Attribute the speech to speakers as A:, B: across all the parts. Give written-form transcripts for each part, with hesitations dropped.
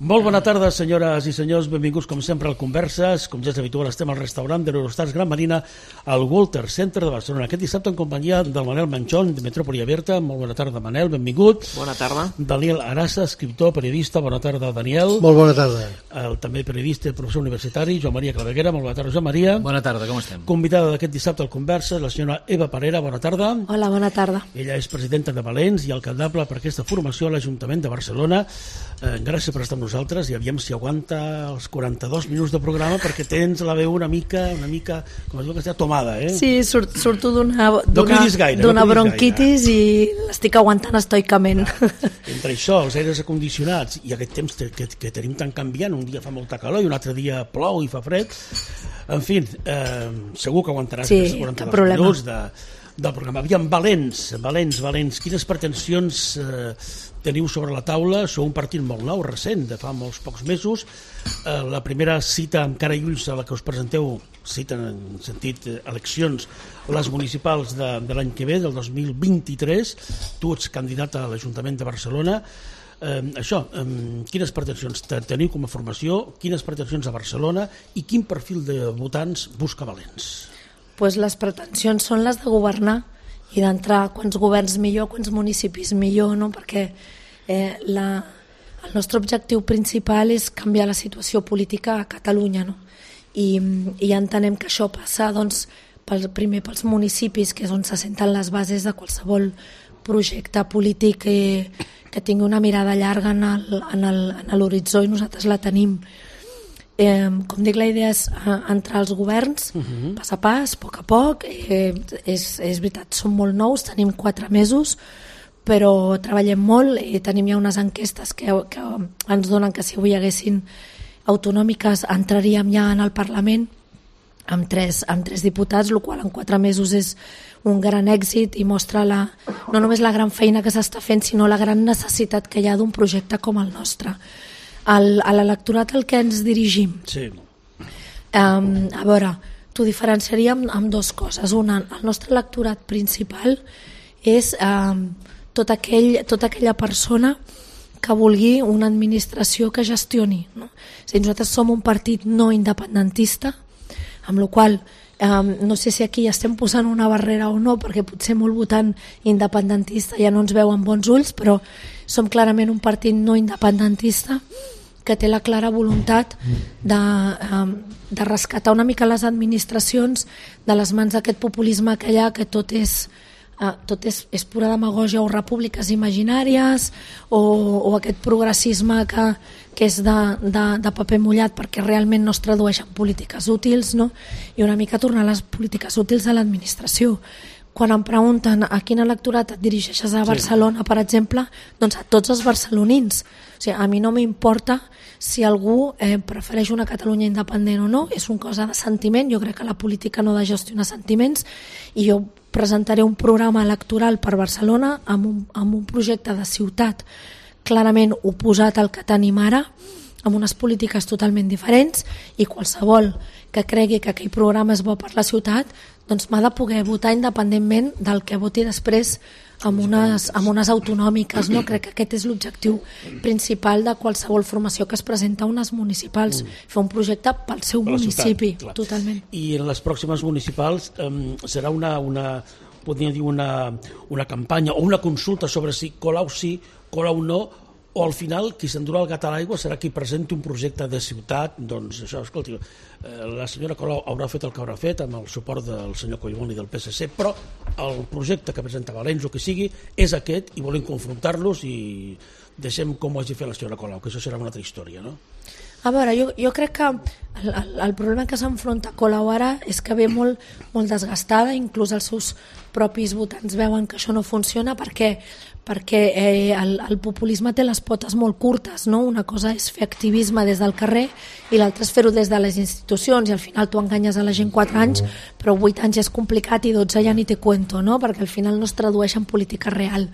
A: Molt bona tarda, senyores i senyors, benvinguts com sempre al Converses. Com ja és habitual, estem al restaurant de l'Eurostars Gran Marina al Walter Center de Barcelona. Aquest dissabte en companyia del Manel Manchón, de Metròpoli Aberta. Molt bona tarda, Manel, benvingut.
B: Bona tarda.
A: Daniel Arasa, escriptor, periodista. Bona tarda, Daniel.
C: Molt bona tarda.
A: També periodista i professor universitari, Joan Maria Claveguera. Molt bona tarda, Joan Maria.
B: Bona tarda, com estem?
A: Convidada d'aquest dissabte al Converses, la senyora Eva Parera. Bona tarda.
D: Hola, bona tarda.
A: Ella és presidenta de Valents i alcaldable per aquesta formació a l'Ajuntament de Barcelona. Gràcies per estar amb nosaltres i aviam si aguanta els 42 minuts de programa, perquè tens la veu una mica com es diu que està tomada, eh?
D: Sí, surto d'una
A: gaire.
D: bronquitis i l'estic aguantant estoicament.
A: Entre això, els aires acondicionats i aquest temps que tenim tan canviant, un dia fa molta calor i un altre dia plou i fa fred, en fi, segur que aguantaràs aquests 42 minuts del programa. Aviam, Valents, quines pretensions teniu sobre la taula? Sou un partit molt nou, recent, de fa molts pocs mesos. La primera cita amb cara i ulls a la que us presenteu, cita en sentit eleccions, les municipals de l'any que ve, del 2023. Tu ets candidat a l'Ajuntament de Barcelona. Quines pretensions teniu com a formació, quines pretensions a Barcelona i quin perfil de votants busca Valents?
D: Pues les pretensions són les de governar i d'entrar quants governs millor, quants municipis millor, no? Perquè el nostre objectiu principal és canviar la situació política a Catalunya, no? I entenem que això passa doncs, primer pels municipis, que és on se senten les bases de qualsevol projecte polític que tingui una mirada llarga en l'horitzó, i nosaltres la tenim. Com dic, la idea és entrar als governs, pas a pas, a poc. És veritat, som molt nous, tenim 4 mesos, però treballem molt i tenim ja unes enquestes que ens donen que si avui hi haguessin autonòmiques entraríem ja en el Parlament amb 3 diputats, el qual en 4 mesos és un gran èxit i mostra no només la gran feina que s'està fent, sinó la gran necessitat que hi ha d'un projecte com el nostre. A l'electorat al que ens dirigim,
A: sí.
D: A veure, t'ho diferenciaríem amb 2 coses. Una, el nostre electorat principal és tota aquella persona que vulgui una administració que gestioni, no? O sigui, nosaltres som un partit no independentista, amb la qual no sé si aquí estem posant una barrera o no, perquè potser molt votant independentista ja no ens veu amb bons ulls, però som clarament un partit no independentista que té la clara voluntat de rescatar una mica les administracions de les mans d'aquest populisme que hi ha, que tot és pura demagògia o repúbliques imaginàries o aquest progressisme que és de paper mullat perquè realment no es tradueix en polítiques útils, no? I una mica tornar les polítiques útils a l'administració. Quan em pregunten a quin electorat et dirigeixes a Barcelona, per exemple, doncs a tots els barcelonins. O sigui, a mi no m'importa si algú prefereix una Catalunya independent o no, és una cosa de sentiment. Jo crec que la política no ha de gestionar sentiments i jo presentaré un programa electoral per Barcelona amb un projecte de ciutat clarament oposat al que tenim ara, amb unes polítiques totalment diferents, i qualsevol que cregui que aquell programa és bo per la ciutat doncs m'ha de poder votar independentment del que voti després amb unes autonòmiques, no? Crec que aquest és l'objectiu principal de qualsevol formació que es presenta a unes municipals, fer un projecte pel seu municipi,
A: ciutat,
D: totalment.
A: I en les pròximes municipals serà podríem dir una campanya o una consulta sobre si Colau sí, Colau no, o al final qui s'endurà el gat a l'aigua serà qui presenti un projecte de ciutat. Doncs això, escolti, la senyora Colau haurà fet el que haurà fet amb el suport del senyor Collboni del PSC, però el projecte que presenta Valents o que sigui és aquest i volem confrontar-los i deixem com ho hagi fet la senyora Colau, que això serà una altra història, no?
D: A veure, jo crec que el problema que s'enfronta Colau ara és que ve molt desgastada, inclús els seus propis votants veuen que això no funciona perquè el populisme té les potes molt curtes, no? Una cosa és fer activisme des del carrer i l'altra és fer-ho des de les institucions, i al final tu enganyes a la gent 4 anys, però 8 anys és complicat i 12 ja ni te cuento, no? Perquè al final no es tradueix en política real.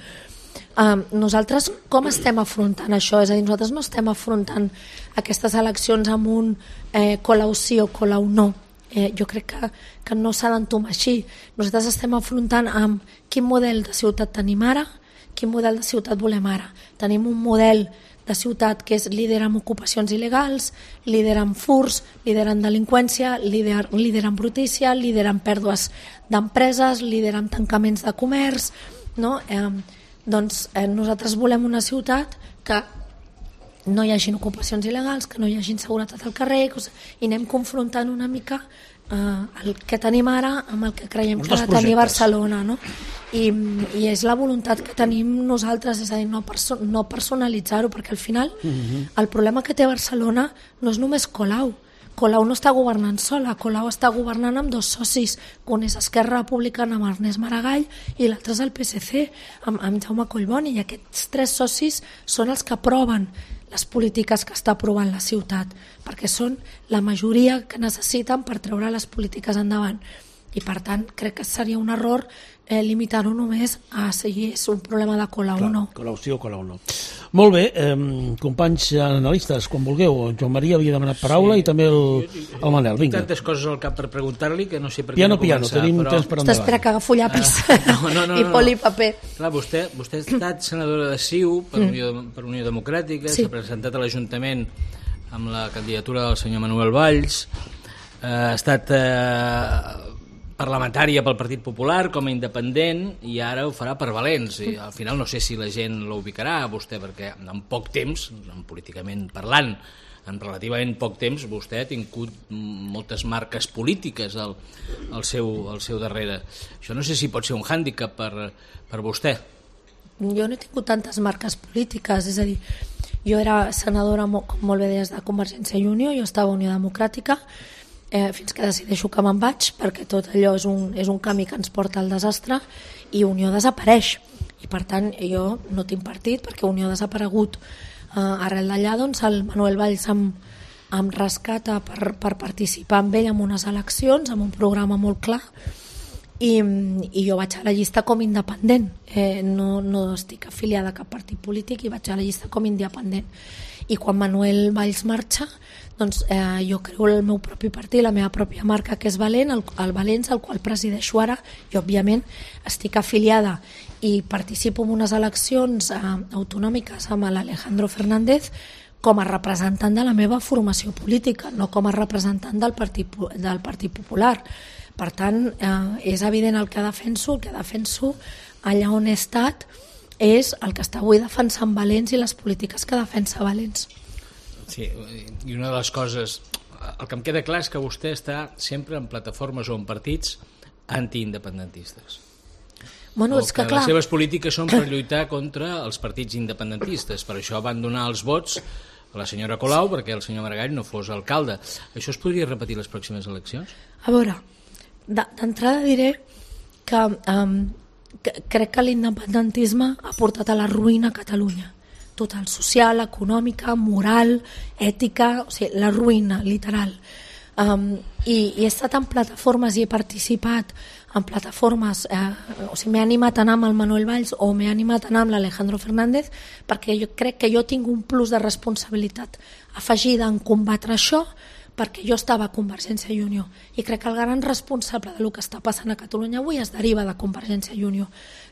D: Nosaltres com estem afrontant això? És a dir, nosaltres no estem afrontant aquestes eleccions amb un Colau sí o Colau no. Jo crec que no s'ha d'entomar així. Nosaltres estem afrontant amb quin model de ciutat tenim ara, quin model de ciutat volem ara. Tenim un model de ciutat que és líder en ocupacions il·legals, líder en furts, líder en delinqüència, líder en brutícia, líder en pèrdues d'empreses, líder en tancaments de comerç, no? Doncs nosaltres volem una ciutat que no hi hagi ocupacions il·legals, que no hi hagi inseguretat al carrer, i anem confrontant una mica el que tenim ara amb el que creiem que ha de tenir Barcelona, no? I és la voluntat que tenim nosaltres, és a dir, no personalitzar-ho, perquè al final el problema que té Barcelona no és només Colau. Colau no està governant sola, Colau està governant amb dos socis, un és Esquerra Republicana amb Ernest Maragall i l'altre és el PSC amb Jaume Collboni, i aquests tres socis són els que aproven les polítiques que està aprovant la ciutat, perquè són la majoria que necessiten per treure les polítiques endavant. I per tant crec que seria un error limitar-ho només a si és un problema de Colau o no.
A: Colau sí o Colau no. Molt bé, companys analistes, quan vulgueu. Joan Maria havia demanat paraula i també el Manel. Vinga.
B: Tantes coses al cap per preguntar-li que no sé per què
A: no començar. Tenim temps per endavant.
D: T'espera que agafo llapis i poli i paper.
B: Clar, vostè ha estat senadora de CiU per Unió Democràtica, s'ha presentat a l'Ajuntament amb la candidatura del senyor Manuel Valls, ha estat parlamentària pel Partit Popular com a independent i ara ho farà per Valents, i al final no sé si la gent l'ubicarà a vostè, perquè en poc temps, políticament parlant, en relativament poc temps vostè ha tingut moltes marques polítiques al seu darrere. Això no sé si pot ser un hàndicap per vostè.
D: Jo no he tingut tantes marques polítiques, és a dir, jo era senadora, com molt bé deies, de Convergència i Unió, jo estava a Unió Democràtica, fins que decideixo que me'n vaig, perquè tot allò és un camí que ens porta al desastre, i Unió desapareix, i per tant jo no tinc partit perquè Unió ha desaparegut. Arrel d'allà doncs el Manuel Valls em rescata per participar amb ell en unes eleccions amb un programa molt clar, i jo vaig a la llista com independent, no estic afiliada a cap partit polític, i vaig a la llista com independent. I quan Manuel Valls marxa, doncs jo creo el meu propi partit, la meva pròpia marca, que és Valent, el Valents, el qual presideixo ara, i òbviament estic afiliada i participo en unes eleccions autonòmiques amb l'Alejandro Fernández com a representant de la meva formació política, no com a representant del Partit Popular. Per tant, és evident el que defenso allà on he estat és el que està avui defensant Valents i les polítiques que defensa Valents.
B: Sí, i una de les coses, el que em queda clar és que vostè està sempre en plataformes o en partits antiindependentistes.
D: Bueno, és que clar,
B: les seves polítiques són per lluitar contra els partits independentistes, per això van donar els vots a la senyora Colau perquè el senyor Maragall no fos alcalde. Això es podria repetir les pròximes eleccions?
D: A veure, d'entrada diré que crec que l'independentisme ha portat a la ruïna a Catalunya, total, social, econòmica, moral, ètica, o sigui, la ruïna, literal. I he estat en plataformes i he participat en plataformes, o sigui, m'he animat a anar amb el Manuel Valls o m'he animat a anar amb l'Alejandro Fernández, perquè jo crec que jo tinc un plus de responsabilitat afegida en combatre això, perquè jo estava a Convergència i Unió, i crec que el gran responsable del que està passant a Catalunya avui es deriva de Convergència i Unió,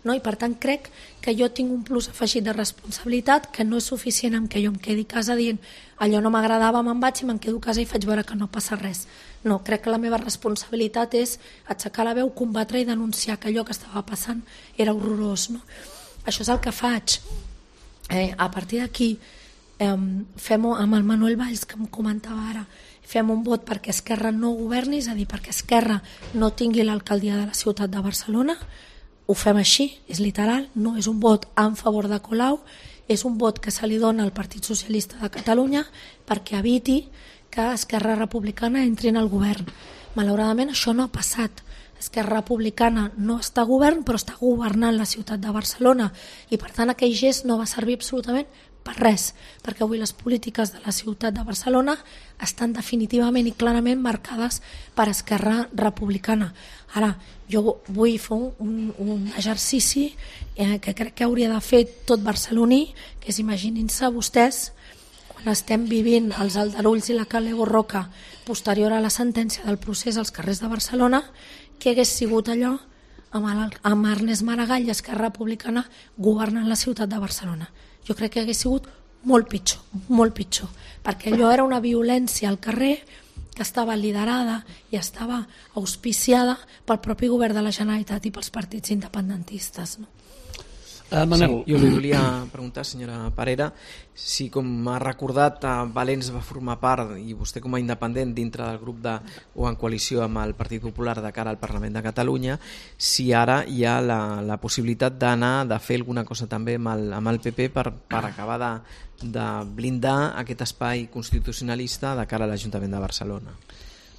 D: no? I per tant crec que jo tinc un plus afegit de responsabilitat, que no és suficient amb que jo em quedi a casa dient allò no m'agradava, me'n vaig i me'n quedo a casa i faig veure que no passa res. No, crec que la meva responsabilitat és aixecar la veu, combatre i denunciar que allò que estava passant era horrorós, no? Això és el que faig. A partir d'aquí fem-ho amb el Manuel Valls, que em comentava ara, fem un vot perquè Esquerra no governi, és a dir, perquè Esquerra no tingui l'alcaldia de la ciutat de Barcelona. Ho fem així, és literal, no és un vot en favor de Colau, és un vot que se li dona al Partit Socialista de Catalunya perquè eviti que Esquerra Republicana entri en el govern. Malauradament això no ha passat. Esquerra Republicana no està a govern, però està governant la ciutat de Barcelona, i per tant aquell gest no va servir absolutament per res, perquè avui les polítiques de la ciutat de Barcelona estan definitivament i clarament marcades per Esquerra Republicana. Ara, jo vull fer un exercici que crec que hauria de fer tot barceloní, que és, imaginin-se vostès, quan estem vivint els aldarulls i la Cale Borroca posterior a la sentència del procés als carrers de Barcelona, què hagués sigut allò amb Ernest Maragall i Esquerra Republicana governant la ciutat de Barcelona. Jo crec que hagués sigut molt pitjor, perquè allò era una violència al carrer que estava liderada i estava auspiciada pel propi govern de la Generalitat i pels partits independentistes, no?
C: Manel. Sí, jo li volia preguntar, senyora Parera, si com ha recordat Valens va formar part, i vostè com a independent dintre del grup o en coalició amb el Partit Popular de cara al Parlament de Catalunya, si ara hi ha la possibilitat de fer alguna cosa també amb el PP per acabar de blindar aquest espai constitucionalista de cara a l'Ajuntament de Barcelona.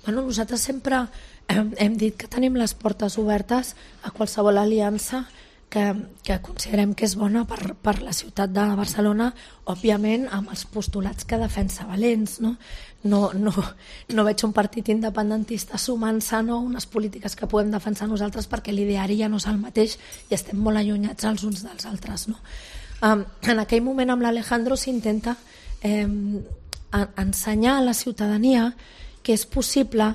D: Bueno, nosaltres sempre hem dit que tenim les portes obertes a qualsevol aliança que considerem que és bona per la ciutat de Barcelona, òbviament amb els postulats que defensa Valens, no? No veig un partit independentista sumant-se a unes polítiques que podem defensar nosaltres, perquè l'ideari ja no és el mateix i estem molt allunyats els uns dels altres, no? En aquell moment amb l'Alejandro s'intenta ensenyar a la ciutadania que és possible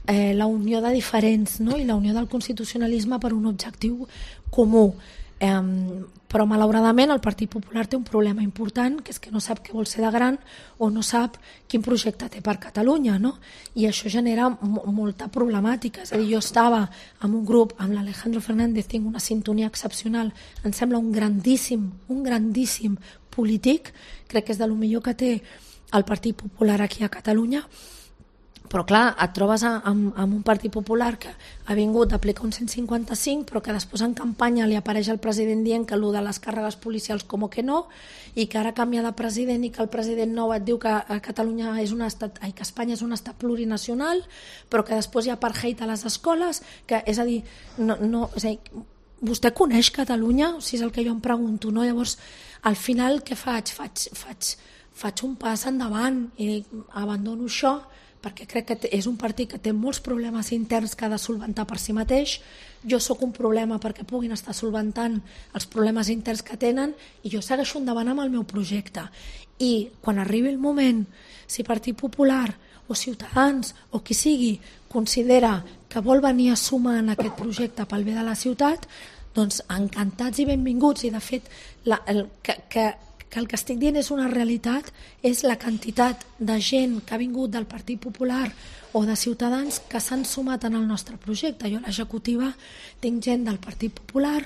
D: la unió de diferents, no? I la unió del constitucionalisme per un objectiu comú, però malauradament el Partit Popular té un problema important, que és que no sap què vol ser de gran o no sap quin projecte té per Catalunya, no? I això genera molta problemàtica. És a dir, jo estava en un grup amb l'Alejandro Fernández, tinc una sintonia excepcional, em sembla un grandíssim polític, crec que és de lo millor que té el Partit Popular aquí a Catalunya, però clar, et trobes amb un Partit Popular que ha vingut d'aplicar un 155, però que després en campanya li apareix el president dient que allò de les càrregues policials com que no, i que ara canvia de president i que el president nou et diu que Catalunya és un estat, que Espanya és un estat plurinacional, però que després hi ha apartheid a les escoles, que és a dir, és a dir, vostè coneix Catalunya? O sigui, és el que jo em pregunto, no? Llavors, al final què faig? Faig un pas endavant i abandono això, perquè crec que és un partit que té molts problemes interns que ha de solventar per si mateix. Jo sóc un problema perquè puguin estar solventant els problemes interns que tenen, i jo segueixo endavant amb el meu projecte. I quan arribi el moment, si Partit Popular o Ciutadans o qui sigui considera que vol venir a sumar en aquest projecte pel bé de la ciutat, doncs encantats i benvinguts. I de fet que el que estic dient és una realitat, és la quantitat de gent que ha vingut del Partit Popular o de Ciutadans que s'han sumat en el nostre projecte. Jo a l'executiva tinc gent del Partit Popular,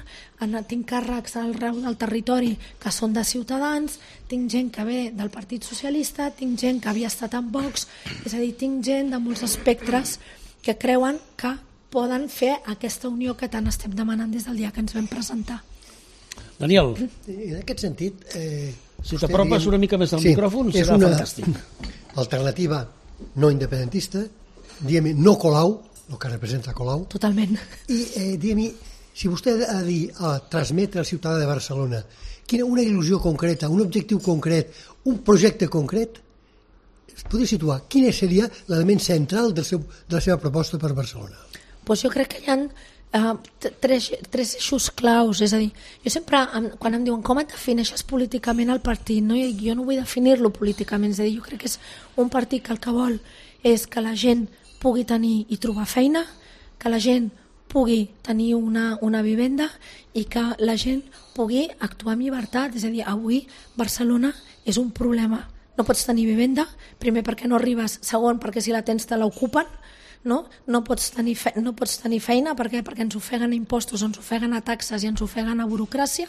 D: tinc càrrecs arreu del territori que són de Ciutadans, tinc gent que ve del Partit Socialista, tinc gent que havia estat en Vox, és a dir, tinc gent de molts espectres que creuen que poden fer aquesta unió que tant estem demanant des del dia que ens vam presentar.
A: Daniel,
E: en aquest sentit,
A: si t'apropes una mica més al micròfon serà fantàstic.
E: És una alternativa no independentista, diguem no Colau, el que representa Colau.
D: Totalment.
E: I diguem, si vostè ha de dir, transmetre al ciutadà de Barcelona una il·lusió concreta, un objectiu concret, un projecte concret, es podria situar quin seria l'element central de la seva proposta per Barcelona?
D: Doncs jo crec que hi ha tres eixos claus. És a dir, jo sempre, quan em diuen com et defineixes políticament el partit, no? Jo no vull definir-lo políticament, és a dir, jo crec que és un partit que el que vol és que la gent pugui tenir i trobar feina, que la gent pugui tenir una vivenda i que la gent pugui actuar amb llibertat. És a dir, avui Barcelona és un problema. No pots tenir vivenda, primer perquè no arribes, segon perquè si la tens te l'ocupen, no pots tenir feina perquè ens ofeguen a impostos, ens ofeguen a taxes i ens ofeguen a burocràcia,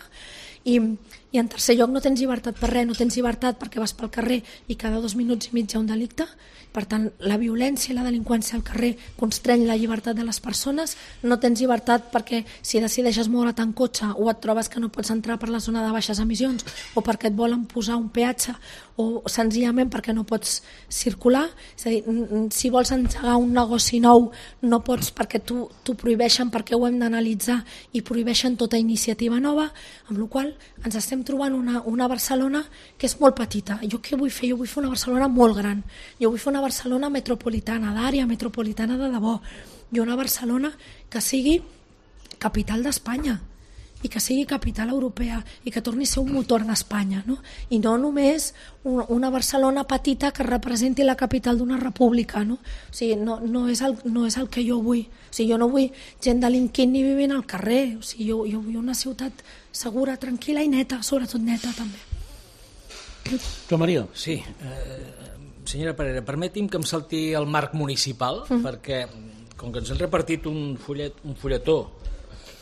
D: i en tercer lloc no tens llibertat per res, no tens llibertat perquè vas pel carrer i cada 2 minuts i mig hi ha un delicte. Per tant, la violència i la delinqüència al carrer constreny la llibertat de les persones. No tens llibertat perquè si decideixes moure't en cotxe o et trobes que no pots entrar per la zona de baixes emissions o perquè et volen posar un peatge o senzillament perquè no pots circular. És a dir, si vols engegar un negoci nou no pots perquè t'ho prohibeixen, perquè ho hem d'analitzar i prohibeixen tota iniciativa nova, amb la qual ens estem trobant una Barcelona que és molt petita. Jo què vull fer? Jo vull fer una Barcelona molt gran. Jo vull fer una Barcelona metropolitana, d'àrea metropolitana de debò. Jo una Barcelona que sigui capital d'Espanya i que sigui capital europea i que torni a ser un motor d'Espanya, no? I no només una Barcelona petita que representi la capital d'una república, no? O sigui, no és el que jo vull. O sigui, jo no vull gent delinquint ni vivint al carrer. O sigui, jo vull una ciutat segura, tranquil·la i neta, sobretot neta també.
A: Joan Maria.
B: Sí, senyora Parera, permeti'm que em salti el marc municipal, perquè com que ens han repartit un fulletó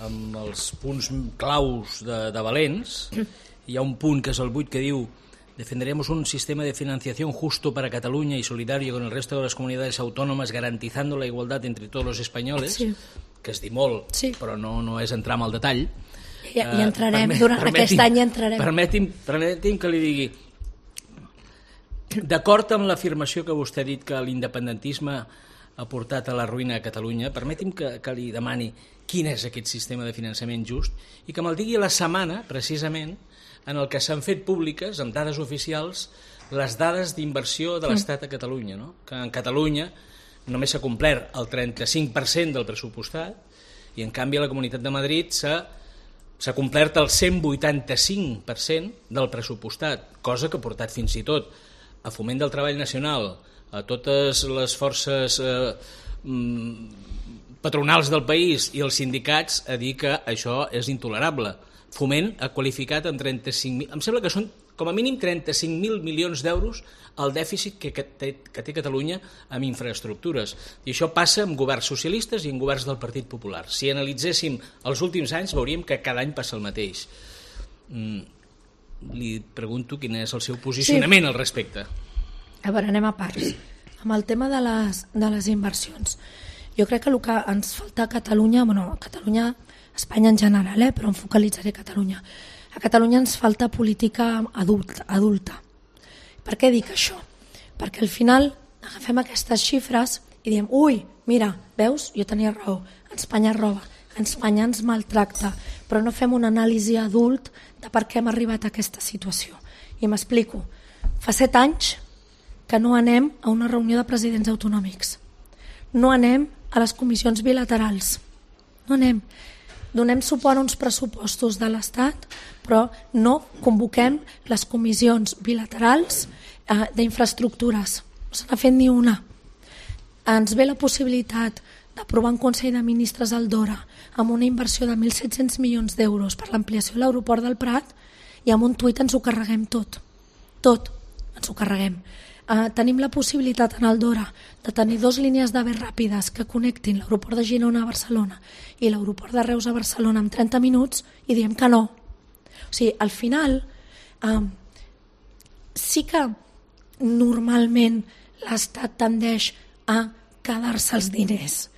B: amb els punts claus de Valens, hi ha un punt que és el 8 que diu: defenderemos un sistema de financiación justo para Cataluña y solidario con el resto de las comunidades autónomas, garantizando la igualdad entre todos los españoles, que es dir molt, però no és entrar en el detall.
D: I entrarem, durant aquest any entrarem.
B: Permeti'm que li digui, d'acord amb l'afirmació que vostè ha dit que l'independentisme ha portat a la ruïna a Catalunya, permeti'm que li demani quin és aquest sistema de finançament just i que me'l digui la setmana, precisament, en el que s'han fet públiques, amb dades oficials, les dades d'inversió de l'Estat a Catalunya, no? Que en Catalunya només s'ha complert el 35% del pressupostat i en canvi a la Comunitat de Madrid s'ha complert el 185% del pressupostat, cosa que ha portat fins i tot a Foment del Treball Nacional, a totes les forces patronals del país i els sindicats a dir que això és intolerable. Foment ha qualificat en 35.000, em sembla que són com a mínim 35.000 milions d'euros el dèficit que té Catalunya amb infraestructures. I això passa amb governs socialistes i amb governs del Partit Popular. Si analitzéssim els últims anys veuríem que cada any passa el mateix. Li pregunto quin és el seu posicionament al respecte.
D: A veure, anem a parts. Amb el tema de les inversions, jo crec que el que ens falta a Catalunya, Catalunya, Espanya en general, però em focalitzaré a Catalunya. A Catalunya ens falta política adulta. Per què dic això? Perquè al final agafem aquestes xifres i diem, ui, mira, veus, jo tenia raó, Espanya roba, Espanya ens maltracta, però no fem una anàlisi adult de per què hem arribat a aquesta situació. I m'explico. Fa 7 anys que no anem a una reunió de presidents autonòmics. No anem a les comissions bilaterals. No anem. Donem suport a uns pressupostos de l'Estat, però no convoquem les comissions bilaterals d'infraestructures. No se n'ha fet ni una. Ens ve la possibilitat d'aprovar un Consell de Ministres al Dora amb una inversió de 1.700 milions d'euros per l'ampliació de l'aeroport del Prat i amb un tuit ens ho carreguem tot. Tot ens ho carreguem. Tenim la possibilitat en el Dora de tenir 2 línies d'AVE ràpides que connectin l'aeroport de Girona a Barcelona i l'aeroport de Reus a Barcelona en 30 minuts i diem que no. O sigui, al final sí que normalment l'Estat tendeix a quedar-se els diners.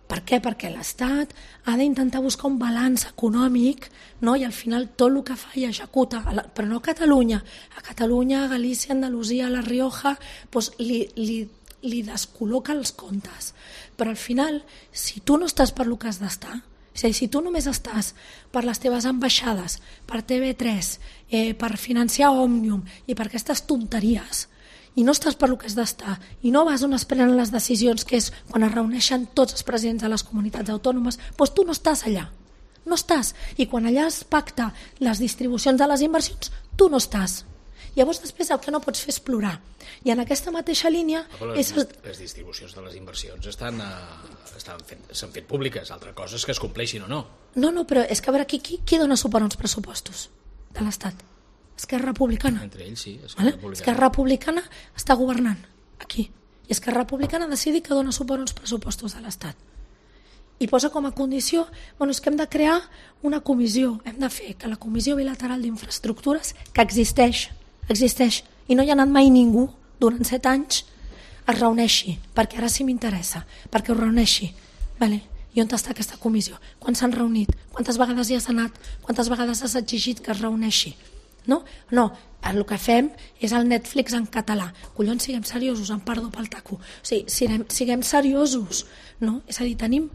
D: Per què? Perquè l'Estat ha d'intentar buscar un balanç econòmic, no? I al final tot el que fa i executa, però no a Catalunya. A Catalunya, a Galícia, a Andalusia, a La Rioja, doncs li descol·loca els comptes. Però al final, si tu no estàs per lo que has d'estar, és a dir, si tu només estàs per les teves ambaixades, per TV3, per financiar Òmnium i per aquestes tonteries, i no estàs per lo que has d'estar, i no vas on es prenen les decisions, que és quan es reuneixen tots els presidents de les comunitats autònomes, doncs tu no estàs allà, no estàs. I quan allà es pacta les distribucions de les inversions, tu no estàs. Llavors després el que no pots fer és plorar. I en aquesta mateixa línia...
B: Les distribucions de les inversions s'han fet públiques, altra cosa és que es compleixin o no.
D: No, però és que a veure, qui dona suport als pressupostos de l'Estat? Esquerra Republicana.
B: Entre ells, sí.
D: Esquerra Republicana està governant aquí. I Esquerra Republicana ha decidit que dona suport als pressupostos de l'Estat. I posa com a condició, és que hem de crear una comissió, hem de fer que la Comissió Bilateral d'Infraestructures, que existeix, i no hi ha anat mai ningú durant 7 anys, es reuneixi, perquè ara sí m'interessa, perquè ho reuneixi. I on està aquesta comissió? Quan s'han reunit? Quantes vegades hi has anat? Quantes vegades has exigit que es reuneixi? No, el que fem és el Netflix en català. Collons, siguem seriosos, em perdo pel taco. O sigui, siguem seriosos, no? És a dir, tenim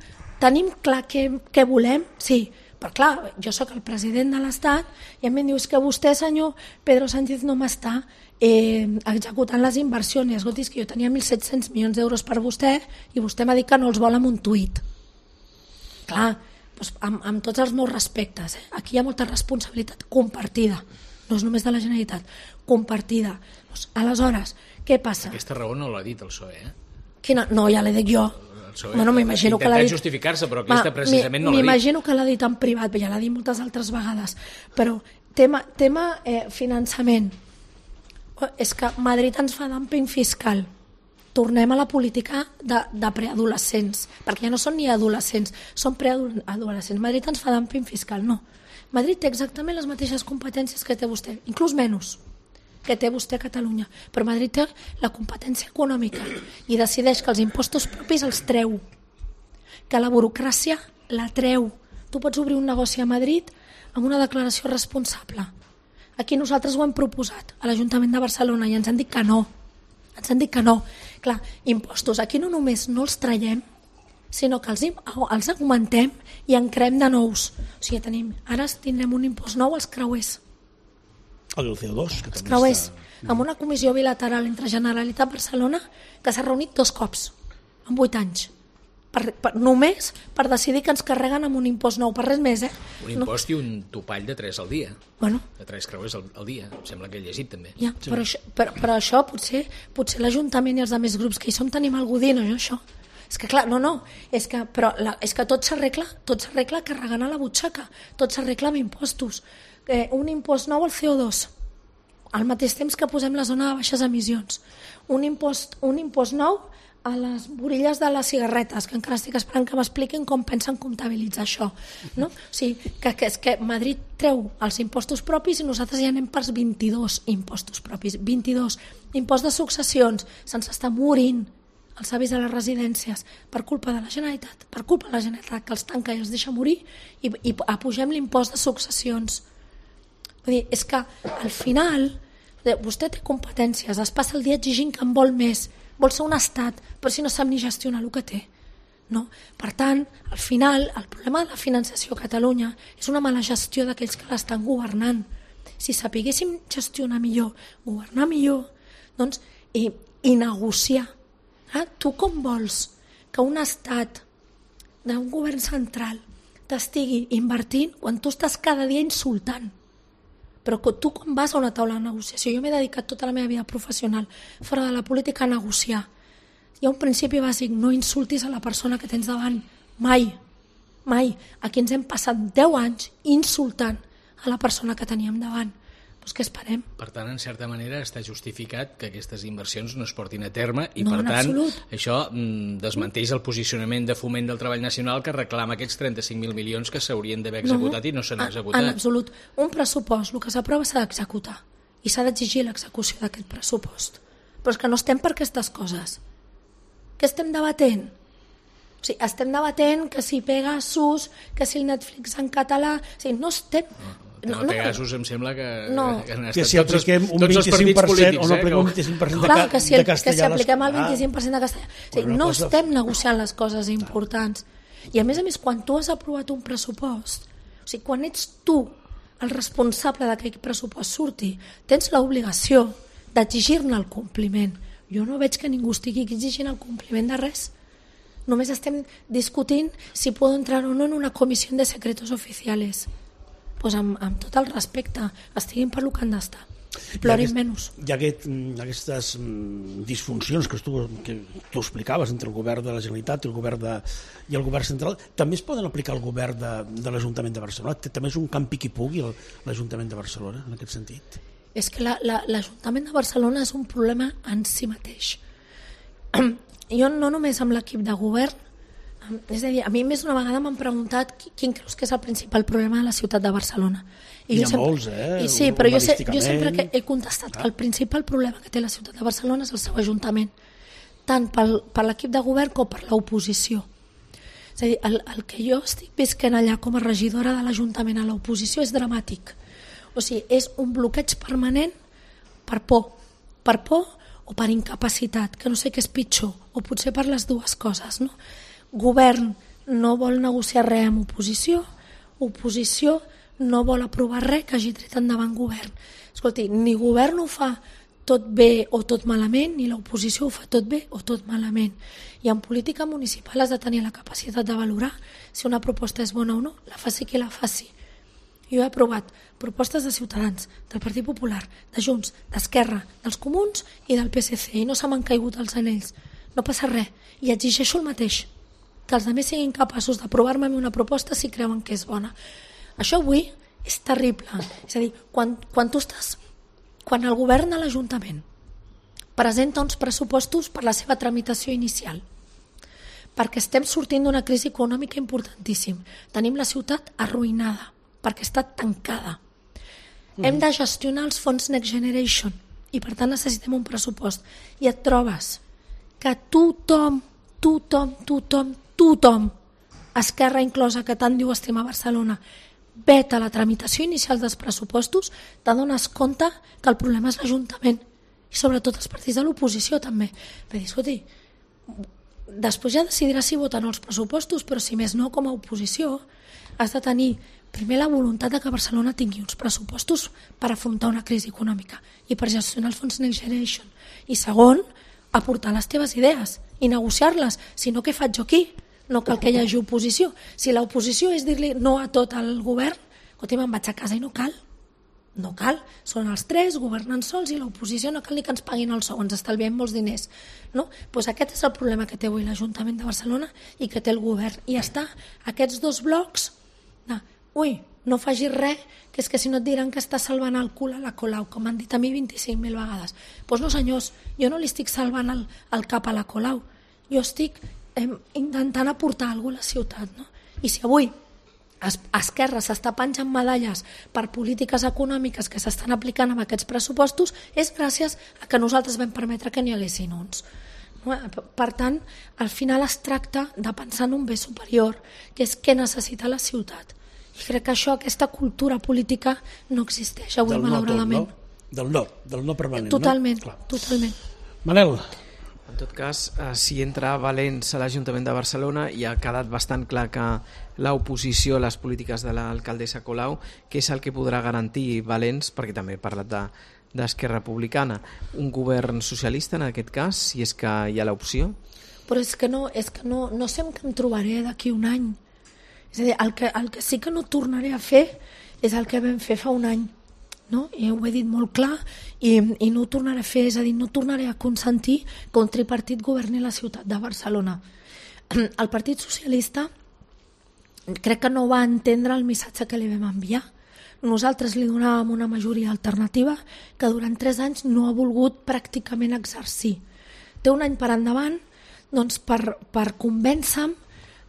D: clar què volem, sí, però clar, jo sóc el president de l'Estat i em diu, és que vostè, senyor Pedro Sánchez, no m'està executant les inversions. Escolti, és que jo tenia 1.700 milions d'euros per vostè i vostè m'ha dit que no els vol amb un tuit. Clar, doncs amb tots els meus respectes, aquí hi ha molta responsabilitat compartida. No és només de la Generalitat, compartida. Doncs, aleshores, què passa?
B: Aquesta raó no l'ha dit el PSOE,
D: Quina? No, ja l'he dit jo.
B: M'imagino que l'ha dit... justificar-se, però aquesta precisament no l'ha dit.
D: M'imagino que l'ha dit en privat, ja l'ha dit moltes altres vegades. Però tema finançament, És que Madrid ens fa dumping fiscal. Tornem a la política de preadolescents, perquè ja no són ni adolescents, són preadolescents. Madrid ens fa dumping fiscal, no. Madrid té exactament les mateixes competències que té vostè, inclús menys que té vostè a Catalunya, però Madrid té la competència econòmica i decideix que els impostos propis els treu, que la burocràcia la treu. Tu pots obrir un negoci a Madrid amb una declaració responsable. Aquí nosaltres ho hem proposat a l'Ajuntament de Barcelona i ens han dit que no. Ens han dit que no. Clar, impostos, aquí no només no els traiem, sinó que els augmentem i en creem de nous. O sigui, ara tindrem un impost nou als creuers.
A: El CO2, que
D: els creuers, amb una comissió bilateral entre Generalitat i Barcelona que s'ha reunit 2 cops en 8 anys. Només per decidir que ens carreguen amb un impost nou, per res més.
B: Un impost i un topall de 3 al dia.
D: Bueno.
B: De 3 creuers al dia. Em sembla que he llegit també.
D: Ja, sí. Però això potser l'Ajuntament i els altres grups que hi som tenim algú dient, no, això. És que clar, és que tot s'arregla carregant a la butxaca, tot s'arregla amb impostos. Un impost nou al CO2, al mateix temps que posem la zona de baixes emissions. Un impost nou a les borilles de les cigarretes, que encara estic esperant que m'expliquin com pensen comptabilitzar això. No? O sigui, és que Madrid treu els impostos propis i nosaltres ja anem pels 22 impostos propis. 22. Impost de successions, se'ns està morint els avis de les residències per culpa de la Generalitat, que els tanca i els deixa morir, i apugem l'impost de successions. Vull dir, és que al final vostè té competències, es passa el dia exigint que en vol més, vol ser un estat, però si no sap ni gestionar el que té. No? Per tant, al final, el problema de la financiació a Catalunya és una mala gestió d'aquells que l'estan governant. Si sapiguéssim gestionar millor, governar millor, doncs, i negociar. Tu com vols que un estat d'un govern central t'estigui invertint quan tu estàs cada dia insultant? Però tu com vas a una taula de negociació? Jo m'he dedicat tota la meva vida professional fora de la política a negociar. Hi ha un principi bàsic, no insultis a la persona que tens davant, mai. Aquí ens hem passat 10 anys insultant a la persona que teníem davant. Doncs què esperem?
B: Per tant, en certa manera està justificat que aquestes inversions no es portin a terme i per tant això desmenteix el posicionament de Foment del Treball Nacional que reclama aquests 35.000 milions que s'haurien d'haver executat i no s'han executat.
D: En absolut. Un pressupost, el que s'aprova s'ha d'executar i s'ha d'exigir l'execució d'aquest pressupost. Però és que no estem per aquestes coses. Què estem debatent? O sigui, estem debatent que si Pegasus, que si el Netflix en català... O sigui, no estem...
B: Pegasus em sembla que han
A: estat si apliquem un 25% o no apliquem un 25% de castellà.
D: Que si apliquem el 25% de castellà. O sigui, no estem negociant les coses importants. I a més, quan tu has aprovat un pressupost, o sigui, quan ets tu el responsable que aquest pressupost surti, tens l'obligació d'exigir-ne el compliment. Jo no veig que ningú estigui exigint el compliment de res. Només estem discutint si puedo entrar o no en una comissió de secretos oficiales. Pues amb tot el respecte, estiguin per lo que han d'estar. Plorin menys.
A: Hi ha aquestes disfuncions que tu explicaves entre el govern de la Generalitat i el govern central, també es poden aplicar al govern de l'Ajuntament de Barcelona? També és un camp piqui-pugui l'Ajuntament de Barcelona, en aquest sentit?
D: És que l'Ajuntament de Barcelona és un problema en si mateix. Jo no només amb l'equip de govern, és a dir, a mi més d'una vegada m'han preguntat quin creus que és el principal problema de la ciutat de Barcelona.
A: Hi ha molts,
D: Sí, però jo sempre que he contestat que el principal problema que té la ciutat de Barcelona és el seu ajuntament, tant per l'equip de govern com per l'oposició. És a dir, el que jo estic visquent allà com a regidora de l'Ajuntament a l'oposició és dramàtic. O sigui, és un bloqueig permanent per por o per incapacitat, que no sé què és pitjor, o potser per les dues coses, no? Govern no vol negociar res amb oposició no vol aprovar res que hagi tret endavant govern. Escolti, ni govern ho fa tot bé o tot malament, ni l'oposició ho fa tot bé o tot malament. I en política municipal has de tenir la capacitat de valorar si una proposta és bona o no, la faci qui la faci. Jo he aprovat propostes de Ciutadans, del Partit Popular, de Junts, d'Esquerra, dels Comuns i del PSC, i no se m'han caigut els anells. No passa res, i exigeixo el mateix, que els altres siguin capaços d'aprovar-me una proposta si creuen que és bona. Això avui és terrible. És a dir, quan tu estàs quan el govern a l'Ajuntament presenta uns pressupostos per la seva tramitació inicial, perquè estem sortint d'una crisi econòmica importantíssim, tenim la ciutat arruïnada, perquè està tancada, hem de gestionar els fons Next Generation i per tant necessitem un pressupost, i et trobes que tothom, Esquerra inclosa, que tant diu estimar Barcelona, veta la tramitació inicial dels pressupostos, t'adones compte que el problema és l'Ajuntament i sobretot els partits de l'oposició també. Per dir, escolti, després ja decidiràs si voten els pressupostos, però si més no, com a oposició has de tenir primer la voluntat de que Barcelona tingui uns pressupostos per afrontar una crisi econòmica i per gestionar el fons Next Generation, i segon, aportar les teves idees i negociar-les, si no, què faig jo aquí? No cal que hi hagi oposició. Si l'oposició és dir-li no a tot el govern, escolti, me'n vaig a casa i no cal. No cal, són els tres, governen sols, i l'oposició no cal ni que ens paguin el sou, ens estalviem molts diners. No? Pues aquest és el problema que té avui l'Ajuntament de Barcelona i que té el govern. I està aquests dos blocs de, no facis res, que és que si no et diran que està salvant el cul a la Colau, com han dit a mi 25.000 vegades. Doncs no, senyors, jo no li estic salvant el cap a la Colau, jo estic intentant aportar alguna cosa a la ciutat. No? I si avui Esquerra s'està penjant medalles per polítiques econòmiques que s'estan aplicant amb aquests pressupostos, és gràcies a que nosaltres vam permetre que n'hi haguessin uns. Per tant, al final es tracta de pensar en un bé superior, que és què necessita la ciutat. I crec que aquesta cultura política no existeix avui, malauradament.
A: Del no permanent.
D: Totalment, totalment.
A: Manel.
C: En tot cas, si entra Valens a l'Ajuntament de Barcelona, i ha quedat bastant clar que l'oposició a les polítiques de l'alcaldessa Colau, què és el que podrà garantir Valens, perquè també he parlat d'Esquerra Republicana, un govern socialista en aquest cas, si és que hi ha l'opció?
D: Però és que no sé què em trobaré d'aquí un any. És a dir, el que sí que no tornaré a fer és el que vam fer fa un any. No? I ho he dit molt clar i no ho tornaré a fer, és a dir, no tornaré a consentir que un tripartit governi la ciutat de Barcelona. El Partit Socialista crec que no va entendre el missatge que li vam enviar. Nosaltres li donàvem una majoria alternativa que durant 3 anys no ha volgut pràcticament exercir. Té un any per endavant doncs, per convèncer-me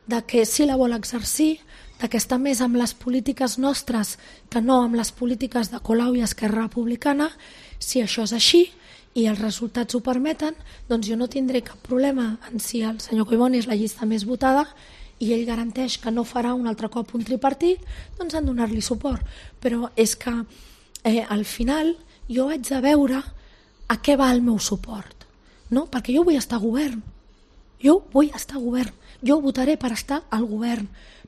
D: de que sí la vol exercir, que està més amb les polítiques nostres que no amb les polítiques de Colau i Esquerra Republicana. Si això és així i els resultats ho permeten, doncs jo no tindré cap problema en si el senyor Collboni és la llista més votada i ell garanteix que no farà un altre cop un tripartit, doncs han de donar-li suport. Però és que al final jo haig de veure a què va el meu suport, no? Perquè jo vull estar a govern, jo votaré per estar al govern,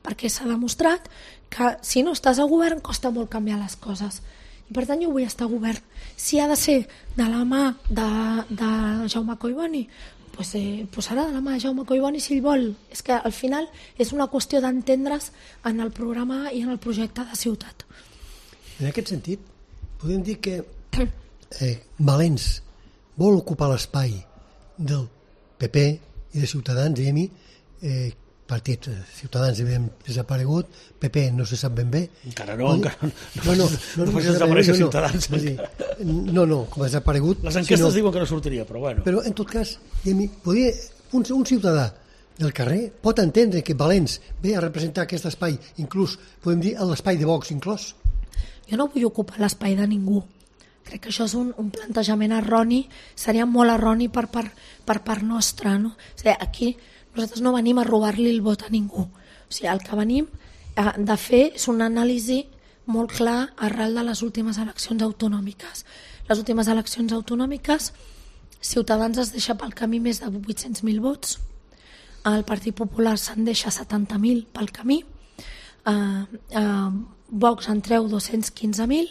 D: perquè s'ha demostrat que si no estàs al govern costa molt canviar les coses. I per tant jo vull estar al govern. Si ha de ser de la mà de Jaume Collboni, doncs serà de la mà de Jaume Collboni si ell vol. És que al final és una qüestió d'entendre's en el programa i en el projecte de ciutat.
E: En aquest sentit, podem dir que Valens vol ocupar l'espai del PP i de Ciutadans, i a mi partit Ciutadans hem desaparegut, PP no se sap ben bé.
A: Encara no facis desaparèixer Ciutadans.
E: No, com ha desaparegut.
A: Les enquestes diuen que no sortiria, però bueno.
E: Però en tot cas, un ciutadà del carrer pot entendre que Valens ve a representar aquest espai, inclús, podem dir, l'espai de Vox inclòs.
D: Jo no vull ocupar l'espai de ningú. Crec que això és un plantejament erroni, seria molt erroni per part nostra. No? O sigui, aquí nosaltres no venim a robar-li el vot a ningú. O sigui, el que venim de fer és una anàlisi molt clar arrel de les últimes eleccions autonòmiques. Les últimes eleccions autonòmiques, Ciutadans es deixa pel camí més de 800.000 vots, el Partit Popular se'n deixa 70.000 pel camí, Vox en treu 215.000,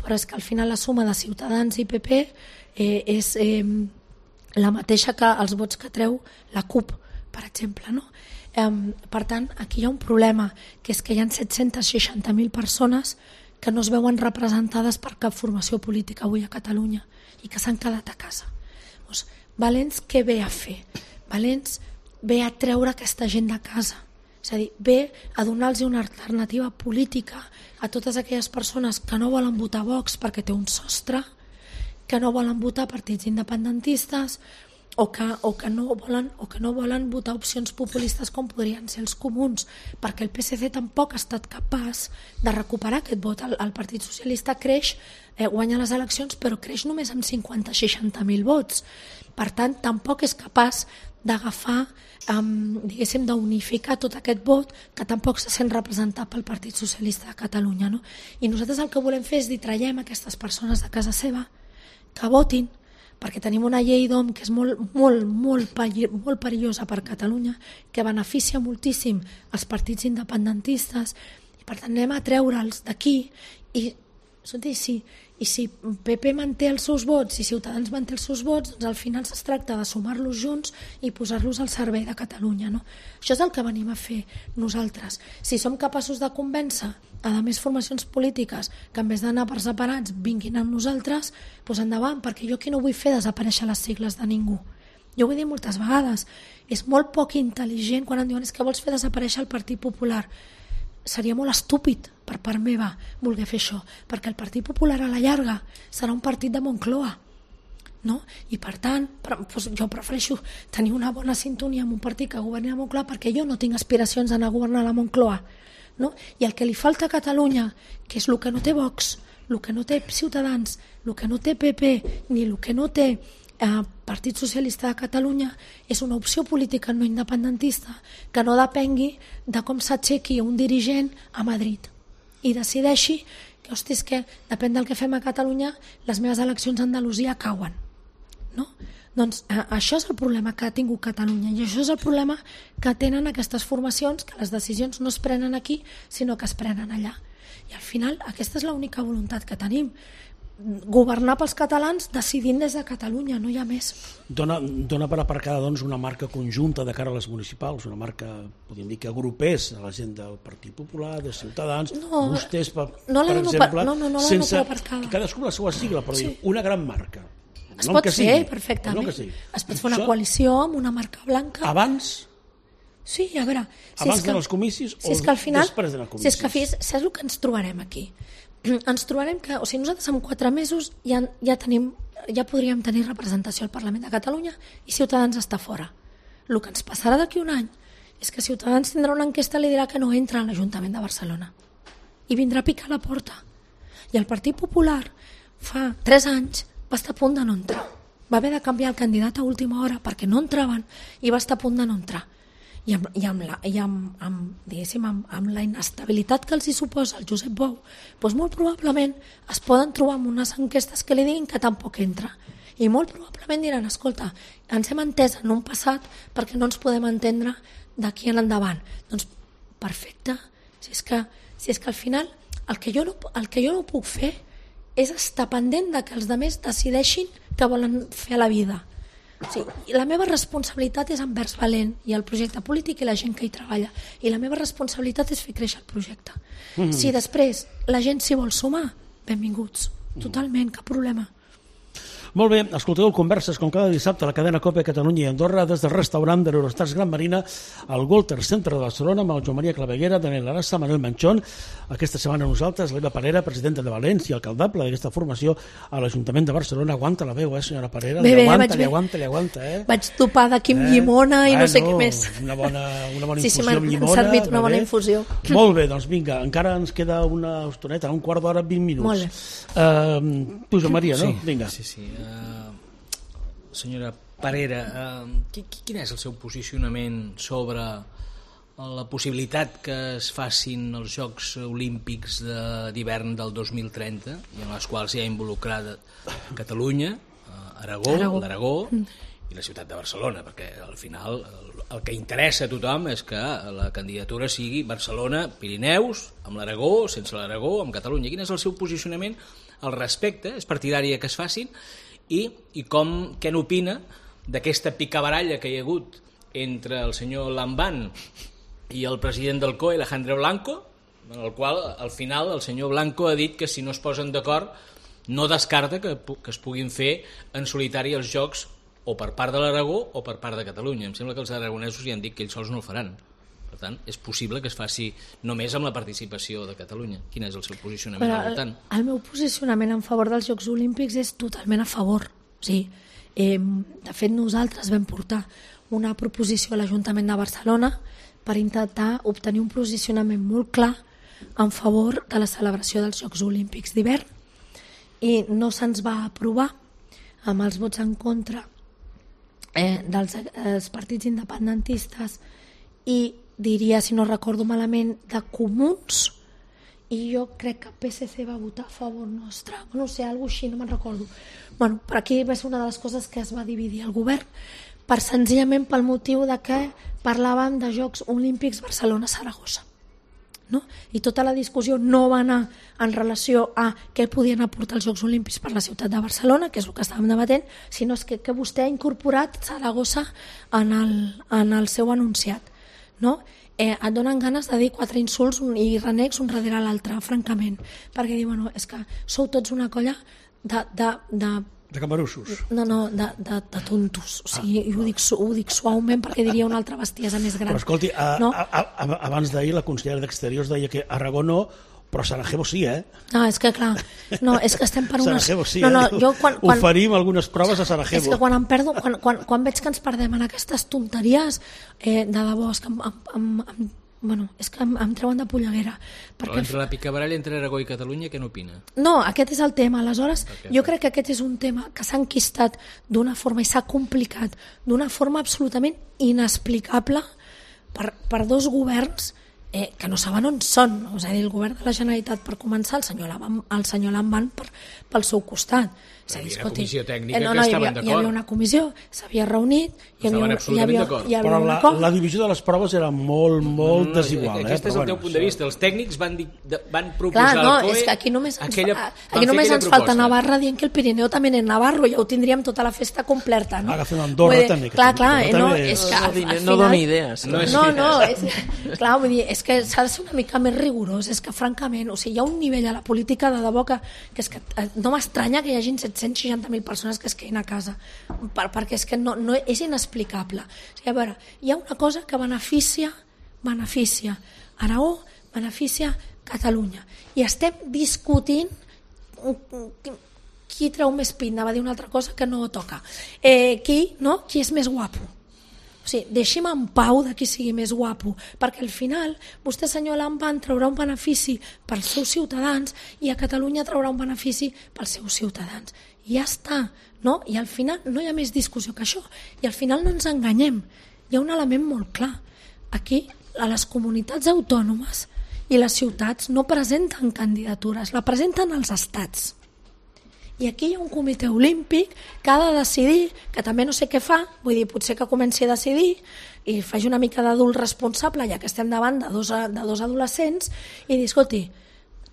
D: però és que al final la suma de Ciutadans i PP és la mateixa que els vots que treu la CUP, per exemple. No? Per tant, aquí hi ha un problema, que és que hi ha 760.000 persones que no es veuen representades per cap formació política avui a Catalunya i que s'han quedat a casa. Doncs, Valens què ve a fer? Valens ve a treure aquesta gent de casa. És a dir, ve a donar-los una alternativa política a totes aquelles persones que no volen votar Vox perquè té un sostre, que no volen votar partits independentistes o que no volen votar opcions populistes com podrien ser els comuns, perquè el PSC tampoc ha estat capaç de recuperar aquest vot. El Partit Socialista creix, guanya les eleccions, però creix només amb 50-60.000 vots. Per tant, tampoc és capaç d'agafar, diguéssim, d'unificar tot aquest vot que tampoc se sent representat pel Partit Socialista de Catalunya, no? I nosaltres el que volem fer és dir, traiem aquestes persones de casa seva, que votin, perquè tenim una llei d'OM que és molt perillosa per Catalunya, que beneficia moltíssim els partits independentistes, i per tant anem a treure'ls d'aquí, i si PP manté els seus vots i Ciutadans manté els seus vots, doncs al final es tracta de sumar-los junts i posar-los al servei de Catalunya, no? Això és el que venim a fer nosaltres. Si som capaços de convèncer a més formacions polítiques que en vez d'anar per separats vinguin amb nosaltres, doncs endavant, perquè jo aquí no vull fer desaparèixer les sigles de ningú. Jo ho he dit moltes vegades, és molt poc intel·ligent quan em diuen que vols fer desaparèixer el Partit Popular. Seria molt estúpid per part meva voler fer això, perquè el Partit Popular a la llarga serà un partit de Moncloa, no? I per tant, jo prefereixo tenir una bona sintonia amb un partit que governi a Moncloa, perquè jo no tinc aspiracions d'anar a governar a la Moncloa, no? I el que li falta a Catalunya, que és el que no té Vox, el que no té Ciutadans, el que no té PP, ni el que no té Partit Socialista de Catalunya, és una opció política no independentista que no depengui de com s'aixequi un dirigent a Madrid i decideixi que, hosti, és que depèn del que fem a Catalunya, les meves eleccions a Andalusia cauen, no? Doncs això és el problema que ha tingut Catalunya, i això és el problema que tenen aquestes formacions, que les decisions no es prenen aquí sinó que es prenen allà, i al final aquesta és l'única voluntat que tenim, governar pels catalans decidint des de Catalunya, no hi ha més.
A: Dona per aparcada, doncs, una marca conjunta de cara a les municipals, una marca, podríem dir, que agrupés a la gent del Partit Popular, de Ciutadans, vostès, per exemple, sense que cadascú la seva sigla, però una gran marca.
D: Es pot fer perfectament. Es pot fer una coalició amb una marca blanca.
A: Abans?
D: Sí, a veure...
A: Abans dels comicis o després dels comicis?
D: Si és que saps el que ens trobarem aquí? Ens trobarem que, o sigui, nosaltres en 4 mesos ja podríem tenir representació al Parlament de Catalunya i Ciutadans està fora. El que ens passarà d'aquí un any és que Ciutadans tindrà una enquesta i li dirà que no entra a l'Ajuntament de Barcelona i vindrà a picar la porta. I el Partit Popular fa 3 anys va estar a punt de no entrar. Va haver de canviar el candidat a última hora perquè no entraven i va estar a punt de no entrar. I amb la inestabilitat que els hi suposa el Josep Bou, doncs molt probablement es poden trobar amb unes enquestes que li diguin que tampoc entra. I molt probablement diran, escolta, ens hem entès en un passat perquè no ens podem entendre d'aquí en endavant. Doncs perfecte, si és que al final el que jo no puc fer és estar pendent de que els altres decideixin què volen fer a la vida. Sí, la meva responsabilitat és envers Valent i el projecte polític i la gent que hi treballa, i la meva responsabilitat és fer créixer el projecte. Si després la gent s'hi vol sumar, benvinguts, totalment, cap problema.
A: Molt bé, escolteu Converses com cada dissabte a la cadena COPE Catalunya i Andorra des del restaurant de l'Eurostars Gran Marina al Walter Center de Barcelona amb el Joan Maria Claveguera, Daniel Arassa, Manuel Manchón. Aquesta setmana nosaltres, l'Eva Parera, presidenta de València i alcaldable d'aquesta formació a l'Ajuntament de Barcelona. Aguanta la veu, senyora Parera? Li aguanta.
D: Vaig topar d'aquí amb llimona i no sé què més.
A: Una bona infusió amb llimona.
D: Sí, m'han servit una bona infusió.
A: Molt bé, doncs vinga, encara ens queda una estoneta, un quart d'hora, 20 minuts.
D: Molt bé.
A: Tu, Joan Maria, no? Vinga.
B: Sí. Senyora Parera, quin és el seu posicionament sobre la possibilitat que es facin els Jocs Olímpics d'hivern del 2030 i en les quals hi ha involucrada Catalunya, l'Aragó i la ciutat de Barcelona, perquè al final el que interessa a tothom és que la candidatura sigui Barcelona, Pirineus, amb l'Aragó, sense l'Aragó, amb Catalunya. Quin és el seu posicionament al respecte? És partidària que es facin? I què n'opina d'aquesta picabaralla que hi ha hagut entre el senyor Lambán i el president del COE, Alejandro Blanco, en el qual al final el senyor Blanco ha dit que si no es posen d'acord no descarta que es puguin fer en solitari els Jocs o per part de l'Aragó o per part de Catalunya. Em sembla que els aragonesos ja han dit que ells sols no el faran. Per tant, és possible que es faci només amb la participació de Catalunya. Quin és el seu posicionament al voltant?
D: El meu posicionament en favor dels Jocs Olímpics és totalment a favor. Sí. De fet, nosaltres vam portar una proposició a l'Ajuntament de Barcelona per intentar obtenir un posicionament molt clar en favor de la celebració dels Jocs Olímpics d'hivern, i no se'ns va aprovar amb els vots en contra dels partits independentistes i diria, si no recordo malament, de Comuns, i jo crec que PSC va votar a favor nostre, no sé, alguna així, no me'n recordo. Bueno, per aquí va ser una de les coses que es va dividir el govern, senzillament pel motiu de que parlàvem de Jocs Olímpics Barcelona-Saragossa. No? I tota la discussió no va anar en relació a què podien aportar els Jocs Olímpics per la ciutat de Barcelona, que és el que estàvem debatent, sinó que vostè ha incorporat Saragossa en el seu enunciat. No? Et donen ganes de dir 4 insults i renecs un darrere l'altre, francament, perquè diu, bueno, és que sou tots una colla
A: de camarussos.
D: No, de tontos. O sigui, ho dic suaument perquè diria una altra bestiesa més gran.
A: Però escolti, abans d'ahir la consellera d'Exteriors deia que Aragó no, però Sarajevo sí,
D: No, és que clar, és que estem per unes...
A: Sarajevo sí, jo oferim algunes proves a Sarajevo.
D: És que quan em perdo, quan veig que ens perdem en aquestes tonteries, de debò, és que em treuen de polleguera.
B: Però entre la picabaralla entre Aragó i Catalunya, què n'opina?
D: No, aquest és el tema. Aleshores, jo crec que aquest és un tema que s'ha enquistat d'una forma i s'ha complicat d'una forma absolutament inexplicable per dos governs que no saben on són. És a dir, el govern de la Generalitat, per començar, el senyor Lamban pel seu costat.
B: És a dir, escolti, comissió tècnica que estaven d'acord.
D: Hi havia una comissió, s'havia reunit,
B: estaven absolutament d'acord.
A: Però la divisió de les proves era molt desigual.
B: Aquest és el teu punt de vista. Els tècnics van proposar
D: al COE... És que aquí només ens falta Navarra dient que el Pirineu també és Navarro, ja ho tindríem tota la festa completa.
A: Agafem Andorra també.
C: No doni idees.
D: Clar, vull dir, és que s'ha de ser una mica més rigorós, és que francament, o sigui, hi ha un nivell a la política de debò que és que no m'estranya que hi hagin 760.000 persones que es quedin a casa, perquè és que no és inexplicable. O sigui, a veure, hi ha una cosa que beneficia Aragó, beneficia Catalunya, i estem discutint qui treu més pit, anava a dir una altra cosa que no toca, qui és més guapo. O sigui, deixi'm en pau de qui sigui més guapo, perquè al final vostè, senyor Lamban, traurà un benefici pels seus ciutadans i a Catalunya traurà un benefici pels seus ciutadans. I ja està, no? I al final no hi ha més discussió que això. I al final no ens enganyem. Hi ha un element molt clar. Aquí, a les comunitats autònomes i les ciutats no presenten candidatures, la presenten els estats. I aquí hi ha un comitè olímpic que ha de decidir, que també no sé què fa, vull dir, potser que comenci a decidir i faci una mica d'adult responsable, ja que estem davant de dos adolescents, i dir, escolti,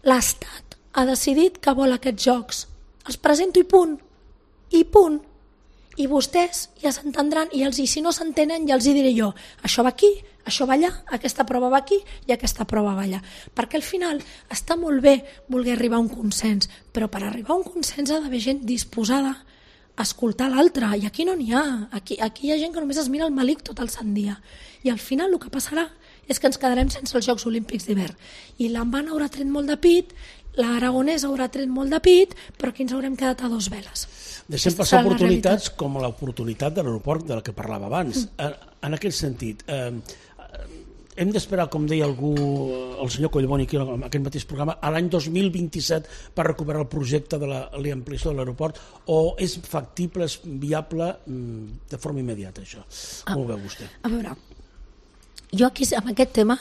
D: l'Estat ha decidit que vol aquests jocs, els presento i punt, i vostès ja s'entendran, i si no s'entenen ja els hi diré jo, això va aquí, això va allà, aquesta prova va aquí i aquesta prova va allà, perquè al final està molt bé voler arribar a un consens, però per arribar a un consens ha d'haver gent disposada a escoltar l'altre, i aquí no n'hi ha, aquí hi ha gent que només es mira el malic tot el sant dia, i al final el que passarà és que ens quedarem sense els Jocs Olímpics d'hivern, i l'Amban haurà tret molt de pit, l'Aragonès haurà tret molt de pit, però aquí ens haurem quedat a dos veles.
A: Deixem passar oportunitats com l'oportunitat de l'aeroport de la que parlava abans. En aquest sentit, hem d'esperar, com deia algú, el senyor Collboni aquí en aquest mateix programa, a l'any 2027 per recuperar el projecte de l'ampliació de l'aeroport, o és factible, és viable de forma immediata això? Com ho veu vostè?
D: A veure, jo aquí amb aquest tema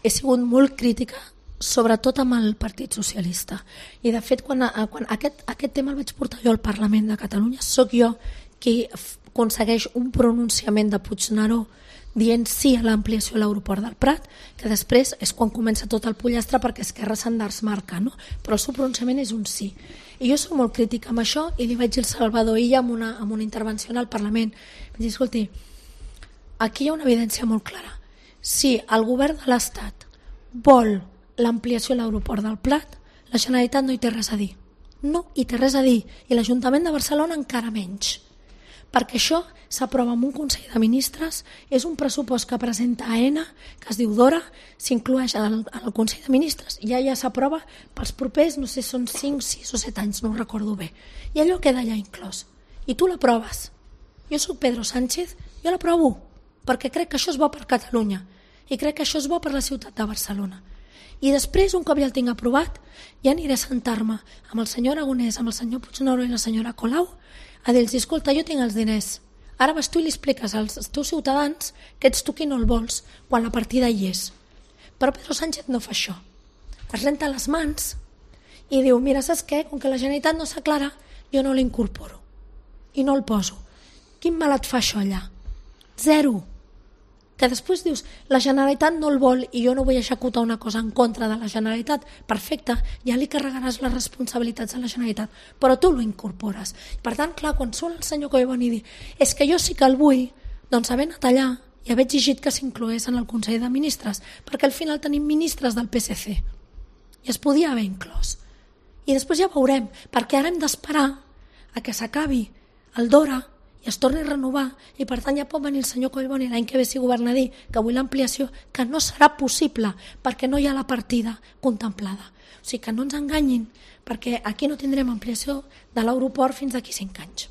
D: he sigut molt crítica, sobretot amb el Partit Socialista, i de fet quan aquest tema el vaig portar jo al Parlament de Catalunya, sóc jo qui aconsegueix un pronunciament de Puigneró dient sí a l'ampliació de l'aeroport del Prat, que després és quan comença tot el pollastre perquè Esquerra s'endersmarca, no? Però el seu pronunciament és un sí. I jo soc molt crítica amb això, i li vaig dir al Salvador Illa amb una intervenció al Parlament. Vaig dir, escolti, aquí hi ha una evidència molt clara. Si el govern de l'Estat vol l'ampliació de l'aeroport del Prat, la Generalitat no hi té res a dir. No hi té res a dir. I l'Ajuntament de Barcelona encara menys. perquè això s'aprova en un Consell de Ministres, és un pressupost que presenta AENA, que es diu Dora, s'inclueix al Consell de Ministres i ja s'aprova pels propers, no sé, són 5, 6 o 7 anys, no ho recordo bé. I allò queda allà inclòs. I tu l'aproves. Jo soc Pedro Sánchez, jo l'aprovo, perquè crec que això és bo per Catalunya i crec que això és bo per la ciutat de Barcelona. I després, un cop ja el tinc aprovat, ja aniré a sentar-me amb el senyor Aragonès, amb el senyor Puigneró i la senyora Colau, a dir-los, escolta, jo tinc els diners, ara vas tu i li expliques als teus ciutadans que ets tu qui no el vols, quan la partida hi és. Però Pedro Sánchez no fa això. Es renta les mans i diu, mira, saps què? Com que la Generalitat no s'aclara, jo no l'incorporo i no el poso. Quin mal et fa això allà? Zero. Que després dius, la Generalitat no el vol i jo no vull executar una cosa en contra de la Generalitat, perfecte, ja li carregaràs les responsabilitats a la Generalitat, però tu lo incorpores. Per tant, clar, quan surt el senyor Collboni i dir, és que jo sí que el vull, doncs haver anat allà i haver exigit que s'inclogués en el Consell de Ministres, perquè al final tenim ministres del PSC i es podia haver inclòs. I després ja veurem, perquè ara hem d'esperar a que s'acabi el Dora i es torni a renovar, i per tant ja pot venir el senyor Collboni l'any que ve si governa a dir que vull l'ampliació, que no serà possible perquè no hi ha la partida contemplada. O sigui que no ens enganyin, perquè aquí no tindrem ampliació de l'aeroport fins d'aquí 5 anys.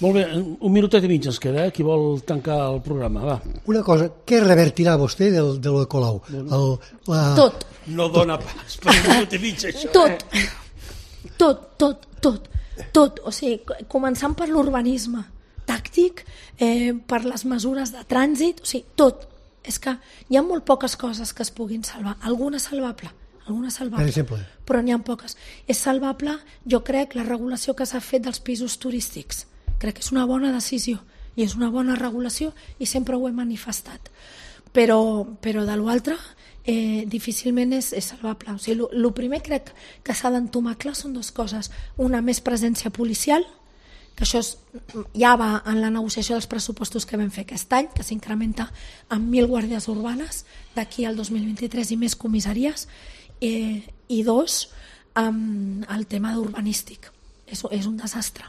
A: Molt bé, un minutet i mig ens queda, qui vol tancar el programa, va.
E: Una cosa, què revertirà vostè de lo de Colau?
D: Tot.
A: No dona pas per un minut i mig, això.
D: Tot, o sigui, començant per l'urbanisme tàctic, per les mesures de trànsit, o sigui, tot. És que hi ha molt poques coses que es puguin salvar. Alguna salvable,
E: per exemple,
D: però n'hi ha poques. És salvable, jo crec, la regulació que s'ha fet dels pisos turístics. Crec que és una bona decisió i és una bona regulació i sempre ho he manifestat. Però de l'altre difícilment és salvable. O sigui, el primer crec que s'ha d'entomar clar són dues coses. Una, més presència policial, que això ja va en la negociació dels pressupostos que vam fer aquest any, que s'incrementa en 1.000 guàrdies urbanes d'aquí al 2023 i més comissaries, i dos, el tema urbanístic. És un desastre.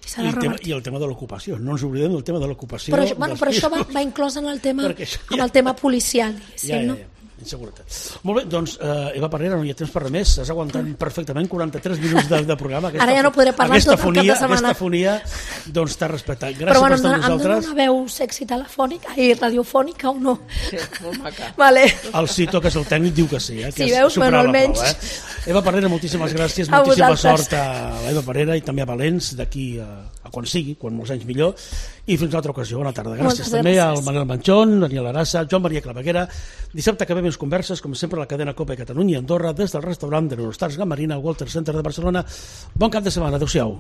A: I el tema de l'ocupació, no ens oblidem del tema de l'ocupació.
D: Però això va inclòs en el tema policial, diguéssim, no?
A: Inseguretat. Molt bé, doncs, Eva Parera, no hi ha temps per res més. Has aguantat perfectament 43 minuts de programa.
D: Ara ja no podré parlar tot el cap de setmana.
A: Aquesta fonia, doncs, t'ha respectat. Gràcies per estar amb nosaltres. Però em dona una veu
D: sexy telefònica i radiofònica o no?
C: Sí, molt maca.
D: Vale.
A: El Cito, que és el tècnic, diu que sí.
D: Sí, veus? Bueno, almenys.
A: Eva Parera, moltíssimes gràcies. Moltíssima sort a l'Eva Parera i també a Valents, d'aquí a quan sigui, quan molts anys millor. I fins a altra ocasió. Bona tarda. Gràcies també al Manel Manchón, Daniel Arassa, Joan Maria Claveguera. Dissabte acabem les converses, com sempre, a la cadena COPE Catalunya i Andorra, des del restaurant de l'Eurostars Gamarina al Walter Center de Barcelona. Bon cap de setmana. Adéu-siau.